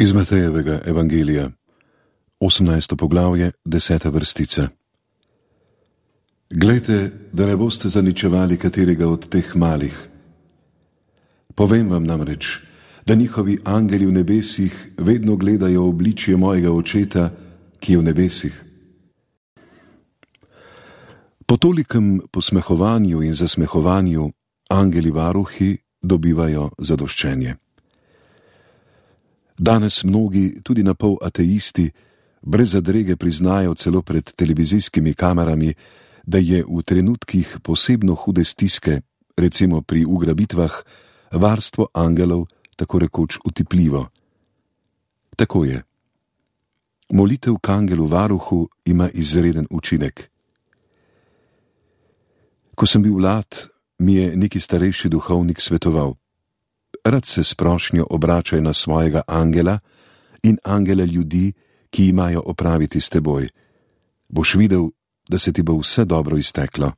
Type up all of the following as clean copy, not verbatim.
Iz Matejevega evangelija, 18. poglavje, 10. vrstica. Glejte, da ne boste zaničevali katerega od teh malih. Povem vam namreč, da njihovi angeli v nebesih vedno gledajo obličje mojega očeta, ki je v nebesih. Po tolikem posmehovanju in zasmehovanju angeli varuhi dobivajo zadoščenje. Danes mnogi, tudi napol ateisti, brez zadrege priznajo celo pred televizijskimi kamerami, da je v trenutkih posebno hude stiske, recimo pri ugrabitvah, varstvo angelov tako rekoč utipljivo. Tako je. Molitev k angelu varuhu ima izreden učinek. Ko sem bil mlad, mi je neki starejši duhovnik svetoval: rad se s prošnjo obračaj na svojega angela in angela ljudi, ki imajo opraviti s teboj. Boš videl, da se ti bo vse dobro izteklo.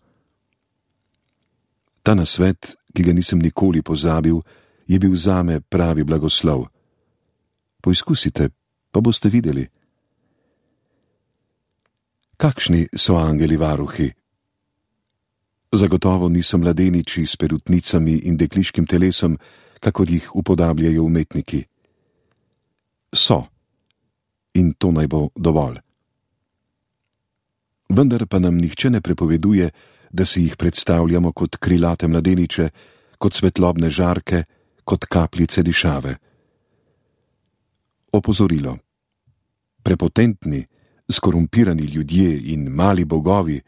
Ta nasvet, ki ga nisem nikoli pozabil, je bil zame pravi blagoslov. Poizkusite, pa boste videli. Kakšni so angeli varuhi? Zagotovo niso mladeniči s perutnicami in dekliškim telesom, kakor jih upodabljajo umetniki. So. In to naj bo dovolj. Vendar pa nam nihče ne prepoveduje, da si jih predstavljamo kot krilate mladeniče, kot svetlobne žarke, kot kapljice dišave. Opozorilo. Prepotentni, skorumpirani ljudje in mali bogovi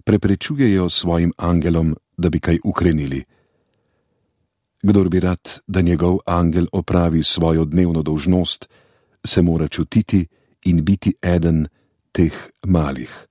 preprečujejo svojim angelom, da bi kaj ukrenili. Kdor bi rad, da njegov angel opravi svojo dnevno dolžnost, se mora čutiti in biti eden teh malih.